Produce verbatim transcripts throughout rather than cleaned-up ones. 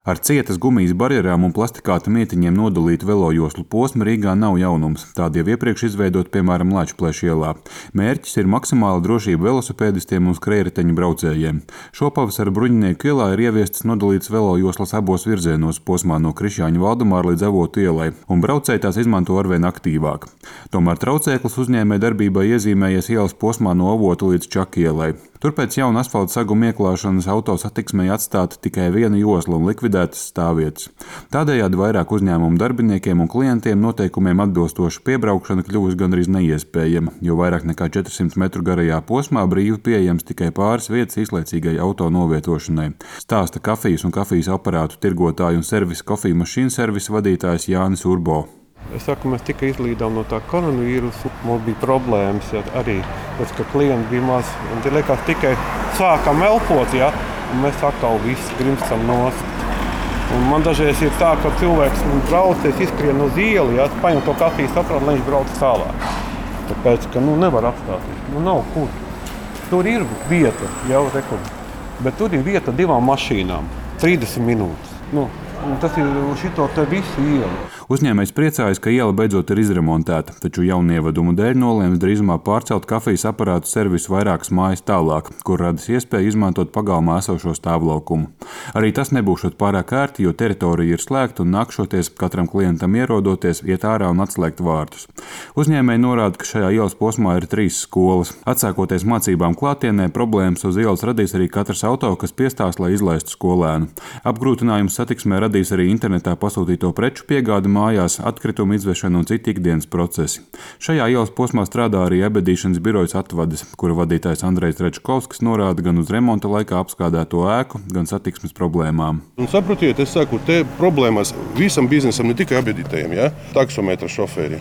Ar cietas gumijas barjerām un plastikāta mietiņiem nodalītu velojoslu posmu Rīgā nav jaunums. Tādi jau iepriekš izveidoti, piemēram, Lačplēša ielā. Mērķis ir maksimāla drošība velosipēdistiem un skrējriteņu braucējiem. Šopavasar Bruņinieku ielā ir ieviestas nodalītas velojoslas abos virzienos posmā no Krišjāņu Valdemāra līdz Avotu ielai, un braucēji tās izmanto arvien aktīvāk. Tomēr traucēklis uzņēmēju darbībai iezīmējies ielas posmā no Avotu līdz Čaku ielai. Tur pēc jauna asfalta saguma ieklāšanas autosatiksmei atstāta tikai viena josla un likvidētas stāvvietas. Tādējādi vairāk uzņēmumu darbiniekiem un klientiem noteikumiem atbilstoša piebraukšana kļuvusi gandrīz neiespējama, jo vairāk nekā četrsimt metru garajā posmā brīvi pieejams tikai pāris vietas īslaicīgai auto novietošanai. Stāsta kafijas un kafijas aparātu tirgotāju un servisa kofiju mašīnu servisa vadītājs Jānis Urbo. Es saku, mēs tikai izlīdām no tā koronavīrusa, mums bija problēmas ja, arī, tas, ka klienti bija maz, un tie liekas tikai sākam elpot, ja, un mēs atkal visi grimstam nost. Un man dažreiz ir tā, ka cilvēks braucies, izskrien uz ielu, ja, paņem to kafijas aparātu, lai viņš brauc tālāk. Tāpēc, ka nu, nevar apstāties, nu nav kur. Tur ir vieta, jau rekur, bet tur ir vieta divām mašīnām, trīsdesmit minūtes. Nu, un tas ir šito te visu ielu. Uzņēmējs priecājas, ka iela beidzot ir izremontēta, taču jaunievedumu dēļ nolēms drīzumā pārcelt kafijas aparātu servisu vairākas mājas tālāk, kur radas iespēja izmantot pagalmā esošo stāvlaukumu. Arī tas nebūšot pārāk ērti, jo teritorija ir slēgta un nākšoties katram klientam ierodoties, iet ārā un atslēgt vārtus. Uzņēmēji norāda, ka šajā ielas posmā ir trīs skolas. Atsākoties mācībām klātienē, problēmas uz ielas radīs arī katrs auto, kas piestās, lai izlaistu skolēnu. Apgrūtinājums satiksmē radīs arī internetā pasūtīto preču piegādi mājās, atkritumu izvešana un citi ikdienas procesi. Šajā ielas posmā strādā arī ebedīšanas birojas Atvades, kura vadītājs Andrejs Rečkovskis norāda gan uz remonta laikā apskādēto ēku, gan satiksmes problēmām. Un saprotiet, es saku, te problēmas visam biznesam, ne tikai ebedītājiem, ja? Taksometra šoferi,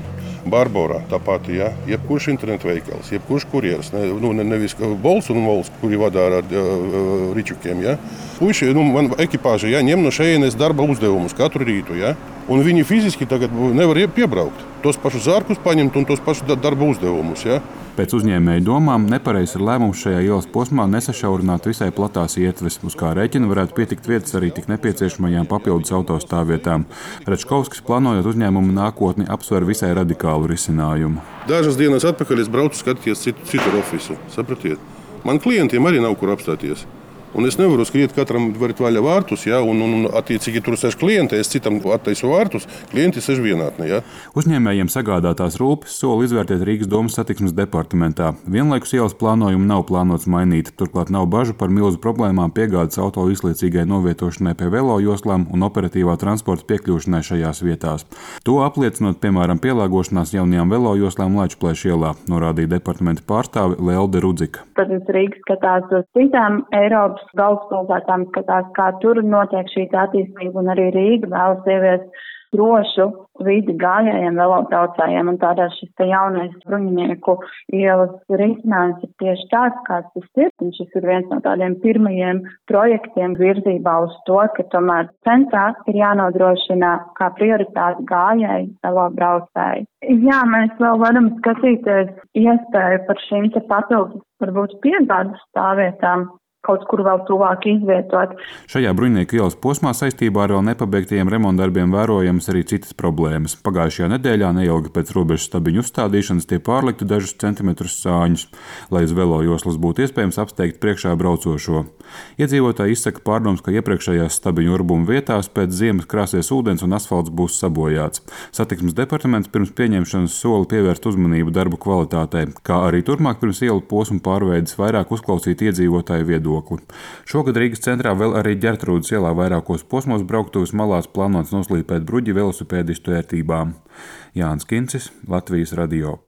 Barborā tāpat, ja? Jebkurš internetu veikals, jebkurš kurjeris, ne, nu, ne, nevis Bols un Vols, kuri vadā ar uh, ričukiem, ja? Puiši, nu, man ekipāža, ja, ņem no šejienes darba uzdevumus katru rītu, ja? Un viņi fiziski tagad nevar piebraukt. Tos pašus zārkus paņemt un tos pašus darba uzdevumus, ja? Pēc uzņēmēju domām nepareizs ir lēmums šajā ielas posmā nesašaurināt visai platās ietves, uz kā rēķina varētu pietikt vietas arī tik nepieciešamajām papildus autostāvvietām. Rečkovskis, plānojot uzņēmumu nākotni, apsver visai radikālu risinājumu. Dažas dienas atpakaļ es braucu skatīties citu, citu ofisu, sapratiet. Man klientiem arī nav kur apstāties. Un es nevaru skriet katram varit vaļā vārtus, ja, un, un, un attiecīgi tur sēž klienti, es citam attaisu vārtus, klienti sēž vienātnē. Ja. Uzņēmējiem sagādātās rūpes sola izvērtēt Rīgas domas satiksmes departamentā. Vienlaikus ielas plānojumu nav plānots mainīt, turklāt nav bažu par milzu problēmām piegādes auto īslaicīgai novietošanai pie velojoslām un operatīvā transporta piekļūšanai šajās vietās. To apliecinot, piemēram, pielāgošanās jaunajām velojoslām Lačplēša ielā, norādīja departamenta pārstāve Lelde Rudzika. Protams, Rīga skatās uz citām Eiropas galvaspilsētām, skatās, kā tur notiek šī attīstība, un arī Rīga vēlas ieviest drošu vidi gājējiem, velobraucējiem, un tādēļ šis te jaunais Bruņinieku ielas risinājums ir tieši tāds, kāds tas ir, un šis ir viens no tādiem pirmajiem projektiem virzībā uz to, ka tomēr centrā ir jānodrošina kā prioritāte gājēji, velobraucēji. Jā, mēs vēl varam skatīties iespēju par šīm te papildus, varbūt piegādes stāvvietām, kaut kur vēl tuvāk izvietot. Šajā Bruņinieku ielas posmā saistībā ar vēl nepabeigtajiem remontdarbiem vērojamas arī citas problēmas. Pagājušajā nedēļā neilgi pēc robežas stabiņu uzstādīšanas tie pārliktu dažus centimetrus sāņus, lai uz velojoslas būtu iespējams apsteigt priekšā braucošo. Iedzīvotāji izsaka pārdomas, ka iepriekšējās stabiņu urbuma vietās pēc ziemas krāsies ūdens un asfalts būs sabojāts. Satiksmes departaments pirms pieņemšanas sola pievērst uzmanību darbu kvalitātei, kā arī turpmāk pirms ielu posmu pārveides vairāk uzklausīt iedzīvotāju viedokli. Šogad Rīgas centrā vēl arī Ģertrūdes ielā vairākos posmos brauktuves malās plānots noslīpēt bruģi velosipēdistu ērtībām. Jānis Kincis, Latvijas radio.